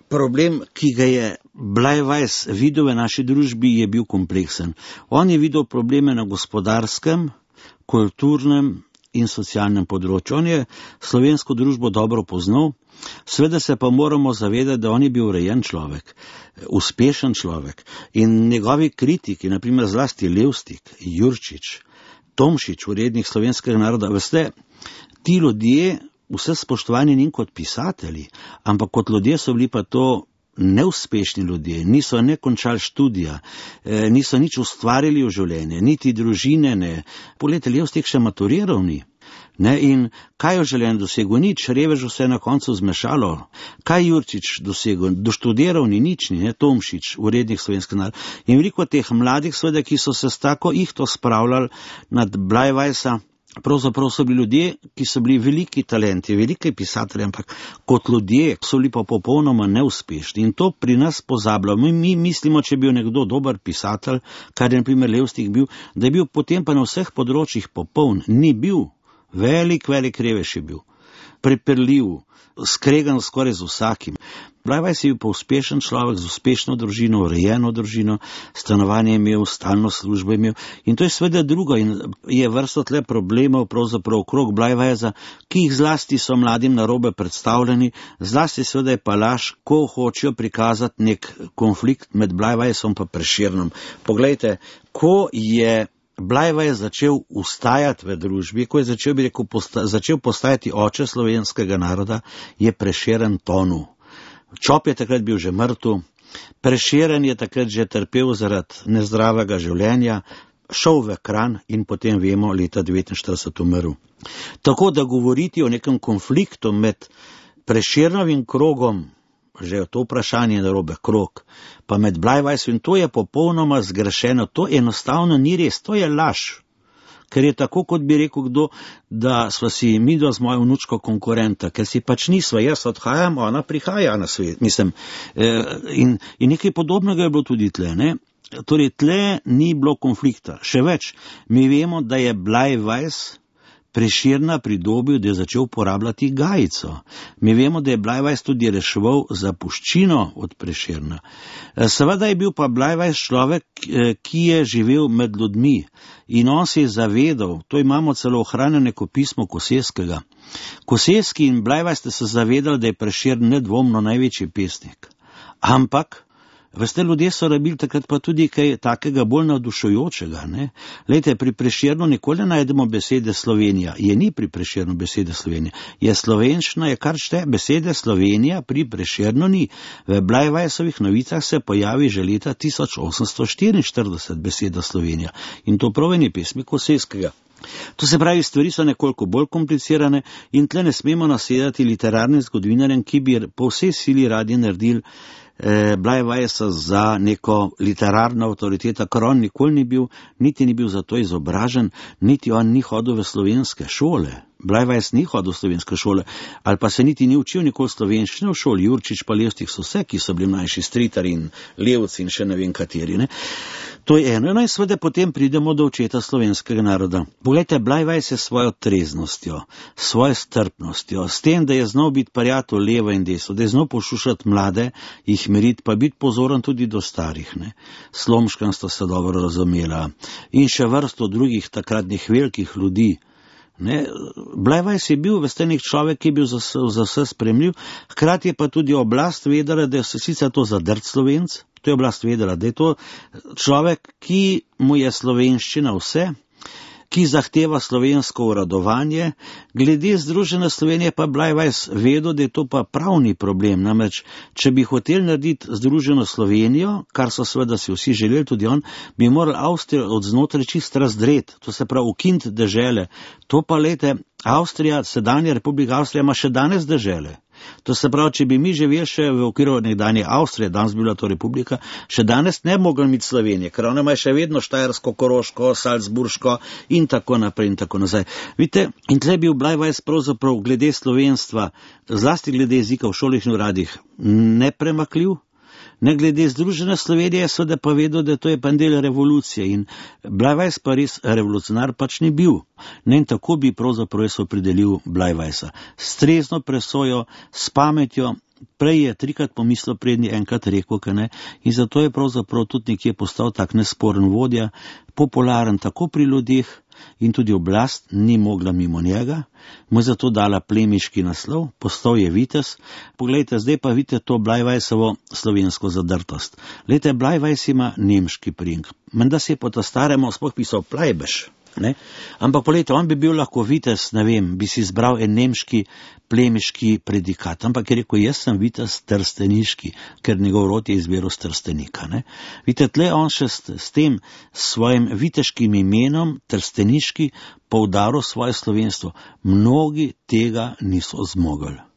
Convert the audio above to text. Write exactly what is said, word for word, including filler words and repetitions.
problem, ki ga je Bleiweiss videl v naši družbi, je bil kompleksen. On je videl probleme na gospodarskem, kulturnem in socialnem področju. On je slovensko družbo dobro poznal, seveda se pa moramo zavedati, da on je bil urejen človek, uspešen človek in njegovi kritiki, naprimer zlasti Levstik, Jurčič, Tomšič, urednik Slovenskega naroda, veste, ti ljudje, vse spoštovani njim kot pisatelji, ampak kot ljudje so bili pa to neuspešni ljudje, niso ne končali študija, niso nič ustvarili v življenje, niti družine ne. Poglejte, Levstik še maturiral ni. Ne, in kaj je v življenju dosegel? Nič, revež vse na koncu zmešalo. Kaj Jurčič dosegel? Doštudiral ni nič, ni, ne, Tomšič, urednik Slovenskega naroda. In veliko teh mladih, seveda, ki so se s tako ihto spravljali nad Bleiweissa, pravzaprav so bili ljudje, ki so bili veliki talenti, veliki pisatelji, ampak kot ljudje so bili pa popolnoma neuspešni. In to pri nas pozabljamo. Mi mislimo, če je bil nekdo dober pisatelj, kar je na primer Levstik bil, da je bil potem pa na vseh področjih popoln. Ni bil. Velik, velik revež je bil. Prepirljiv, skregan skoraj z vsakim. Bleiweiss je bil pa uspešen človek z uspešno družino, urejeno družino, stanovanje je imel, stalno službo je imel. In to je seveda drugo in je vrsto tle problemov pravzaprav okrog Bleiweissa, ki jih zlasti so mladim narobe predstavljeni, zlasti seveda je pa laž, ko hočejo prikazati nek konflikt med Bleiweissom pa Prešernom. Poglejte, ko je Bleiweiss začel ustajati v družbi, ko je začel, bi rekel, posta, začel postajati oče slovenskega naroda, je Prešeren tonil. Čop je takrat bil že mrtev, Prešeren je takrat že trpel zaradi nezdravega življenja, šel v Kranj in potem vemo, leta devetinštirideset umrl. Tako da govoriti o nekem konfliktu med Prešernovim krogom, že to vprašanje narobe krog, pa med Bleiweissom, in to je popolnoma zgrešeno, to enostavno ni res, to je laž. Ker je tako, kot bi rekel kdo, da sva si midva z mojo vnučko konkurenta, ker si pač nisva, jaz odhajam, ona prihaja na svet, mislim, in, in nekaj podobnega je bilo tudi tle, ne? Torej, tle ni bilo konflikta. Še več, mi vemo, da je Bleiweiss Prešerna pridobil, da je začel uporabljati gajico. Mi vemo, da je Bleiweiss tudi reševal zapuščino od Prešerna. Seveda je bil pa Bleiweiss človek, ki je živel med ljudmi in on se je zavedal, to imamo celo ohranjeno neko pismo Koseskega. Koseski in Bleiweiss ste se zavedali, da je Prešern nedvomno največji pesnik. Ampak veste, ljudje so rabili takrat pa tudi kaj takega bolj navdušujočega, ne? Lejte, pri Prešernu nikoli najdemo besede Slovenija. Je ni pri Prešernu besede Slovenija. Je slovenščina, je kar šte, besede Slovenija pri Prešernu ni. V Bleiweissovih novicah se pojavi že leta tisoč osemsto štiriinštirideset beseda Slovenija. In to prav eni pesmi Koseskega. To se pravi, stvari so nekoliko bolj komplicirane in tle ne smemo nasedati literarnim zgodovinarjem, ki bi po vsej sili radi naredili Bleiweissa za neko literarno avtoriteta, ker on nikoli ni bil, niti ni bil za to izobražen, niti on ni hodil v slovenske šole. Bleiweiss ni hodil v slovenske šole, ali pa se niti ni učil nikoli slovenščine v šoli. Jurčič pa Levstik so vse, ki so bili mlajši, Stritar in Levci in še ne vem kateri, ne. To je eno, no in seveda potem pridemo do očeta slovenskega naroda. Poglejte, Bleiweiss je svojo treznostjo, svojo strpnostjo, s tem, da je znal biti prijatelj levo in desno, da je znal pošušati mlade, jih meriti, pa biti pozoren tudi do starih, ne. Slomškan sta se dobro razumela in še vrsto drugih takratnih velikih ljudi. Ne, Bleiweiss je bil veste nek človek, ki je bil za, za vse spremljiv, hkrati je pa tudi oblast vedela, da je sicer to zadrt Slovenc, to je oblast vedela, da je to človek, ki mu je slovenščina vse, ki zahteva slovensko uradovanje. Glede Združene Slovenije pa Bleiweiss vedel, da je to pa pravni problem, namreč, če bi hotel narediti Združeno Slovenijo, kar so seveda si vsi želeli, tudi on, bi moral Avstrijo od znotraj čist razdreti, to se pravi ukiniti dežele. To pa, lejte, Avstrija, sedanja Republika Avstrija ima še danes dežele. To se pravi, če bi mi živeli še v okviru nekdanje Avstrije, danes bi bila to republika, še danes ne bi mogli imeti Slovenije, ker ona ima še vedno Štajersko, Koroško, Salzburško in tako naprej in tako nazaj. Vidite, in tle bil Bleiweiss pravzaprav glede slovenstva, zlasti glede jezika v šolih in uradih, nepremakljiv. Ne glede Združene Slovenije, seveda pa vedel, da to je pa del revolucije in Bleiweiss pa res revolucionar pač ni bil. Ne, in tako bi pravzaprav jaz opredelil Bleiweissa. S trezno presojo, s pametjo, prej je trikrat pomislil, prednji enkrat rekel, kaj ne, in zato je pravzaprav tudi nekje postal tak nesporen vodja, popularen tako pri ljudeh, in tudi oblast ni mogla mimo njega, mu je zato dala plemiški naslov, postal je vitez. Poglejte, zdaj pa vidite to Bleiweisovo slovensko zadrtost. Glejte, Bleiweis ima nemški priimek, menda se je po ta staremu sploh pisal Plejbeš. Ne? Ampak poglejte, on bi bil lahko vitez, ne vem, bi si izbral en nemški plemiški predikat, ampak je rekel, jaz sem vitez trsteniški, ker njegov rod je izbiral s Trstenika. Ne? Vidite, tle on še s, s tem svojim viteškim imenom, trsteniški, poudaril svoje slovenstvo. Mnogi tega niso zmogli.